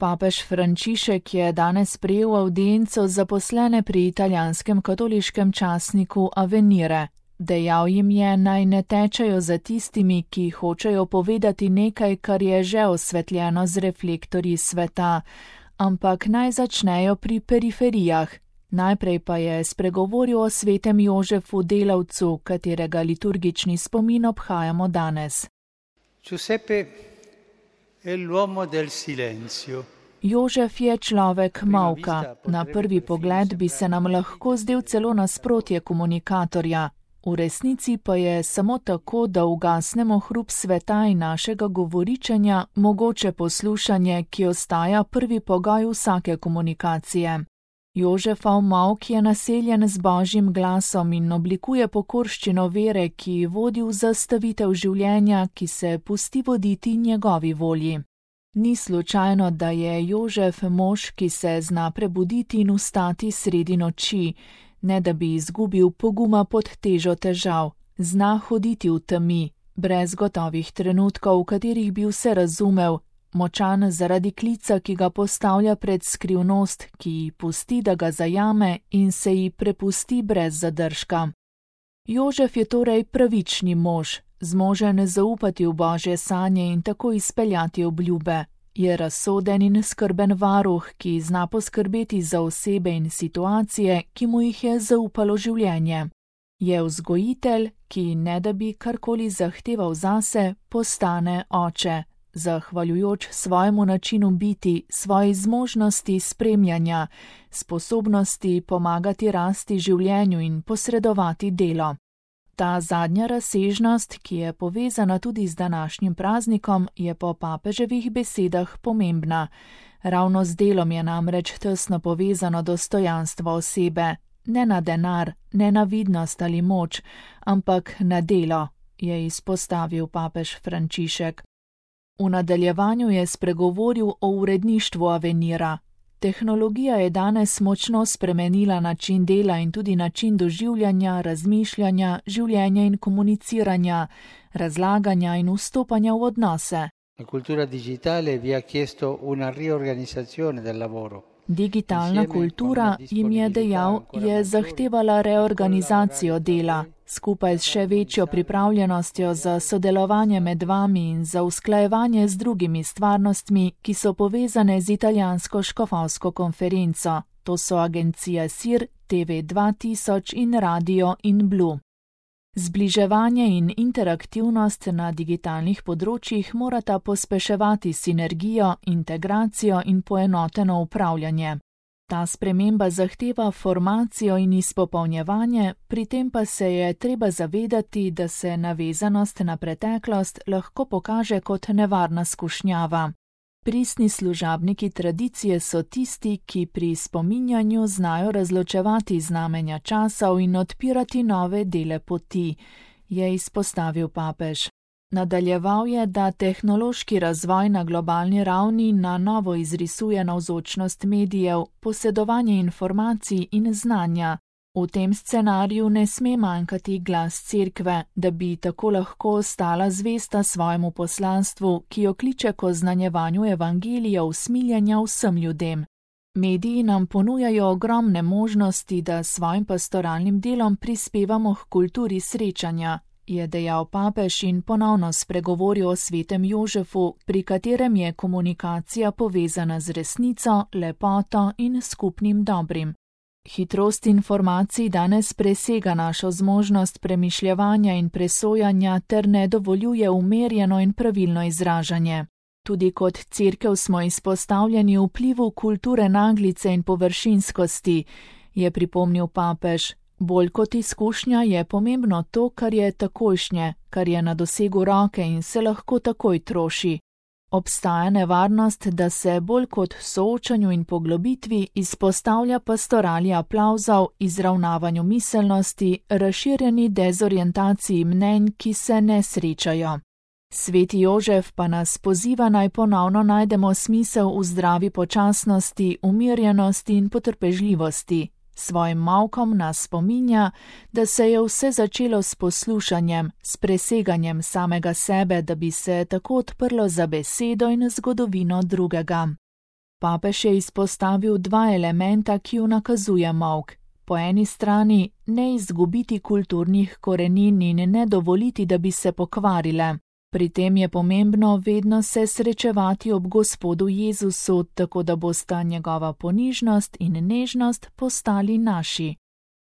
Papež Frančišek je danes prejel avdienco zaposlene pri italijanskem katoliškem časniku Avvenire. Dejal jim je, naj ne tečejo za tistimi, ki hočejo povedati nekaj, kar je že osvetljeno z reflektorji sveta, ampak naj začnejo pri periferijah. Najprej pa je spregovoril o svetem Jožefu Delavcu, katerega liturgični spomin obhajamo danes. Giuseppe è l'uomo del silenzio. Jožef je človek molka. Na prvi pogled bi se nam lahko zdel celo nasprotje komunikatorja. V resnici pa je samo tako, da ugasnemo hrup sveta in našega govoričenja, mogoče poslušanje, ki ostaja prvi pogoj vsake komunikacije. Jožefov molk je naseljen z Božjim glasom in oblikuje pokorščino vere, ki vodi v zastavitev življenja, ki se pusti voditi njegovi volji. Ni slučajno, da je Jožef mož, ki se zna prebuditi in vstati sredi noči, ne da bi izgubil poguma pod težo težav, zna hoditi v temi, brez gotovih trenutkov, v katerih bi vse razumel, močan zaradi klica, ki ga postavlja pred skrivnost, ki ji pusti, da ga zajame in se ji prepusti brez zadržka. Jožef je torej pravični mož, zmožen zaupati v Božje sanje in tako izpeljati obljube. Je razsoden in skrben varuh, ki zna poskrbeti za osebe in situacije, ki mu jih je zaupalo življenje. Je vzgojitelj, ki ne da bi karkoli zahteval zase, postane oče, zahvaljujoč svojemu načinu biti, svoji zmožnosti spremljanja, sposobnosti pomagati rasti življenju in posredovati delo. Ta zadnja razsežnost, ki je povezana tudi z današnjim praznikom, je po papeževih besedah pomembna. Ravno z delom je namreč tesno povezano dostojanstvo osebe, ne na denar, ne na vidnost ali moč, ampak na delo, je izpostavil papež Frančišek. V nadaljevanju je spregovoril o uredništvu Avvenira. Tehnologija je danes močno spremenila način dela in tudi način doživljanja, razmišljanja, življenja in komuniciranja, razlaganja in vstopanja v odnose. La cultura digitale vi ha chiesto una riorganizzazione del lavoro. Digitalna kultura, jim je dejal, je zahtevala reorganizacijo dela, skupaj s še večjo pripravljenostjo za sodelovanje med vami in za usklajevanje z drugimi stvarnostmi, ki so povezane z italijansko škofovsko konferenco. To so agencija SIR, TV 2000 in Radio in Blu. Zbliževanje in interaktivnost na digitalnih področjih morata pospeševati sinergijo, integracijo in poenoteno upravljanje. Ta sprememba zahteva formacijo in izpopolnjevanje, pri tem pa se je treba zavedati, da se navezanost na preteklost lahko pokaže kot nevarna skušnjava. Pristni služabniki tradicije so tisti, ki pri spominjanju znajo razločevati znamenja časov in odpirati nove dele poti, je izpostavil papež. Nadaljeval je, da tehnološki razvoj na globalni ravni na novo izrisuje navzočnost medijev, posedovanje informacij in znanja. V tem scenariju ne sme manjkati glas cerkve, da bi tako lahko ostala zvesta svojemu poslanstvu, ki jo kliče k oznanjevanju evangelija usmiljenja vsem ljudem. Mediji nam ponujajo ogromne možnosti, da svojim pastoralnim delom prispevamo k kulturi srečanja, je dejal papež in ponovno spregovoril o svetem Jožefu, pri katerem je komunikacija povezana z resnico, lepoto in skupnim dobrim. Hitrost informacij danes presega našo zmožnost premišljevanja in presojanja ter ne dovoljuje umerjeno in pravilno izražanje. Tudi kot cerkev smo izpostavljeni vplivu kulture naglice in površinskosti, je pripomnil papež. Bolj kot izkušnja je pomembno to, kar je takojšnje, kar je na dosegu roke in se lahko takoj troši. Obstaja nevarnost, da se bolj kot soočanju in poglobitvi izpostavlja pastorali aplavzov, izravnavanju miselnosti, razširjeni dezorientaciji mnenj, ki se ne srečajo. Sveti Jožef pa nas poziva naj ponovno najdemo smisel v zdravi počasnosti, umirjenosti in potrpežljivosti. Svojim molkom nas spominja, da se je vse začelo s poslušanjem, s preseganjem samega sebe, da bi se tako odprlo za besedo in zgodovino drugega. Papež je izpostavil dva elementa, ki ju nakazuje molk. Po eni strani ne izgubiti kulturnih korenin in ne dovoliti, da bi se pokvarile. Pri tem je pomembno vedno se srečevati ob Gospodu Jezusu, tako da bosta njegova ponižnost in nežnost postali naši.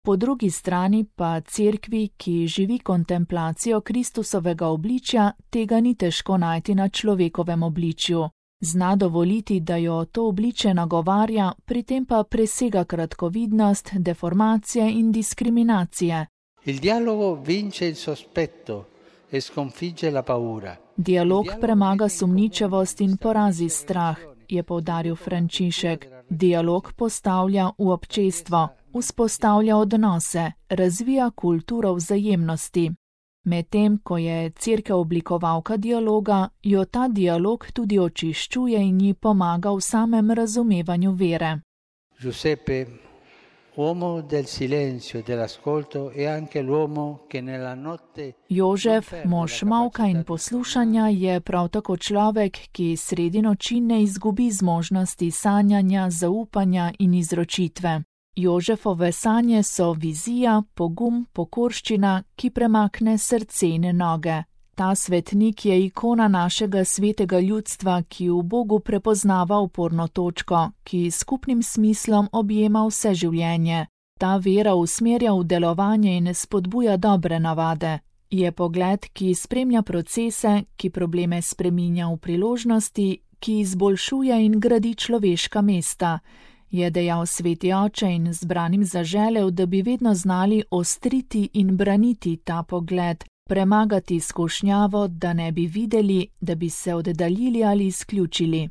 Po drugi strani pa cerkvi, ki živi kontemplacijo Kristusovega obličja, tega ni težko najti na človekovem obličju. Zna dovoliti, da jo to obličje nagovarja, pri tem pa presega kratkovidnost, deformacije in diskriminacije. Il dialogo vince il sospetto e sconfigge la paura. Dialog premaga sumničavost in porazi strah, je poudaril Frančišek. Dialog postavlja v občestvo, vzpostavlja odnose, razvija kulturo vzajemnosti. Medtem, ko je cerkev oblikovalka dialoga, jo ta dialog tudi očiščuje in ji pomaga v samem razumevanju vere. Giuseppe, uomo del silenzio e dell'ascolto, è anche l'uomo che nella notte... Jožef, mož molka in poslušanja, je prav tako človek, ki sredi noči ne izgubi zmožnosti sanjanja, zaupanja in izročitve. Jožefove sanje so vizija, pogum, pokorščina, ki premakne srce in noge. Ta svetnik je ikona našega svetega ljudstva, ki v Bogu prepoznava uporno točko, ki s skupnim smislom objema vse življenje. Ta vera usmerja v delovanje in spodbuja dobre navade. Je pogled, ki spremlja procese, ki probleme spreminja v priložnosti, ki izboljšuje in gradi človeška mesta. Je dejal sveti oče in zbranim zaželel, da bi vedno znali ostriti in braniti ta pogled, premagati skušnjavo, da ne bi videli, da bi se oddaljili ali izključili.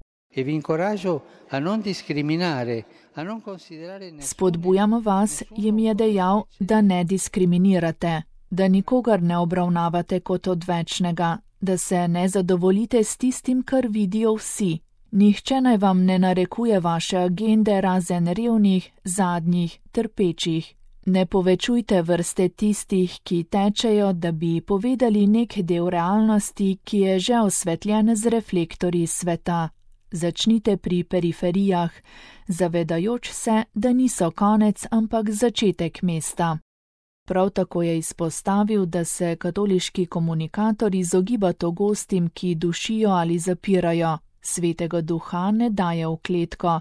Spodbujam vas, jim je dejal, da ne diskriminirate, da nikogar ne obravnavate kot odvečnega, da se ne zadovoljite s tistim, kar vidijo vsi. Nihče naj vam ne narekuje vaše agende razen revnih, zadnjih, trpečih. Ne povečujte vrste tistih, ki tečejo, da bi povedali nek del realnosti, ki je že osvetljen z reflektorji sveta. Začnite pri periferijah, zavedajoč se, da niso konec, ampak začetek mesta. Prav tako je izpostavil, da se katoliški komunikator izogiba togostim, ki dušijo ali zapirajo. Svetega duha ne daje v kletko.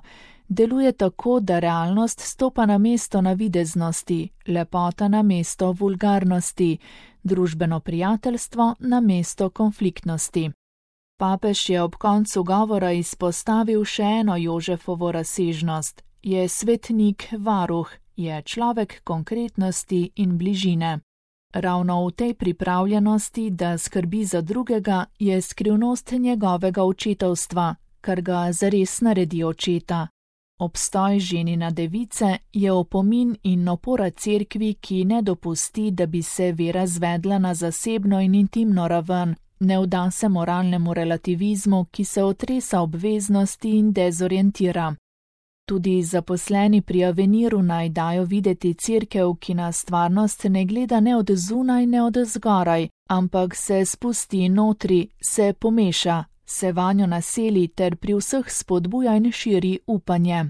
Deluje tako, da realnost stopa na mesto navideznosti, lepota na mesto vulgarnosti, družbeno prijateljstvo na mesto konfliktnosti. Papež je ob koncu govora izpostavil še eno Jožefovo razsežnost. Je svetnik varuh, je človek konkretnosti in bližine. Ravno v tej pripravljenosti, da skrbi za drugega, je skrivnost njegovega očetovstva, kar ga zares naredi očeta. Obstoj ženina device je opomin in opora cerkvi, ki ne dopusti, da bi se vera zvedla na zasebno in intimno raven, ne vda se moralnemu relativizmu, ki se otresa obveznosti in dezorientira. Tudi zaposleni pri Aveniru naj dajo videti cerkev, ki na stvarnost ne gleda ne od zunaj, ne od zgoraj, ampak se spusti notri, se pomeša, se vanjo naseli ter pri vseh spodbuja in širi upanje.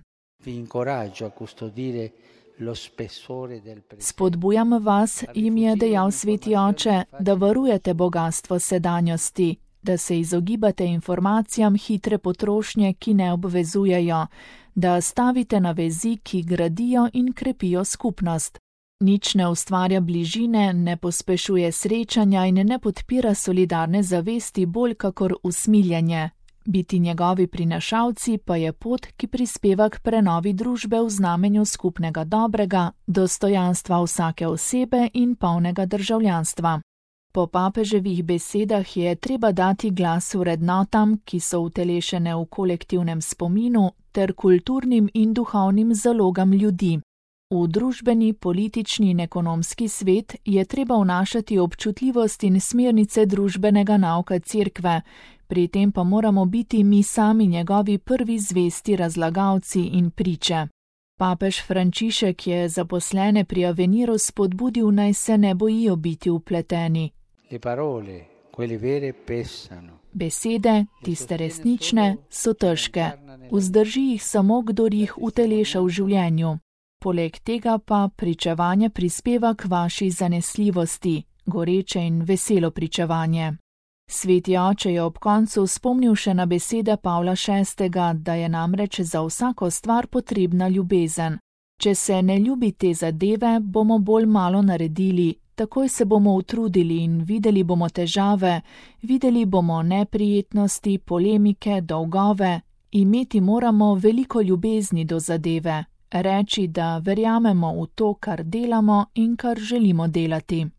Spodbujam vas, jim je dejal sveti oče, da varujete bogastvo sedanjosti, da se izogibate informacijam hitre potrošnje, ki ne obvezujejo, da stavite na vezi, ki gradijo in krepijo skupnost. Nič ne ustvarja bližine, ne pospešuje srečanja in ne podpira solidarne zavesti bolj kakor usmiljenje. Biti njegovi prinašalci pa je pot, ki prispeva k prenovi družbe v znamenju skupnega dobrega, dostojanstva vsake osebe in polnega državljanstva. Po papeževih besedah je treba dati glas vrednotam, ki so utelešene v kolektivnem spominu, ter kulturnim in duhovnim zalogam ljudi. V družbeni, politični in ekonomski svet je treba vnašati občutljivost in smernice družbenega nauka cerkve, pri tem pa moramo biti mi sami njegovi prvi zvesti razlagalci in priče. Papež Frančišek je zaposlene pri Aveniru spodbudil, naj se ne bojijo biti vpleteni. Besede, tiste resnične, so težke. Vzdrži jih samo, kdor jih uteleša v življenju. Poleg tega pa pričevanje prispeva k vaši zanesljivosti, goreče in veselo pričevanje. Sveti oče je ob koncu spomnil še na besede Pavla VI., da je namreč za vsako stvar potrebna ljubezen. Če se ne ljubi te zadeve, bomo bolj malo naredili, takoj se bomo utrudili in videli bomo težave, videli bomo neprijetnosti, polemike, dolgove. Imeti moramo veliko ljubezni do zadeve, reči, da verjamemo v to, kar delamo in kar želimo delati.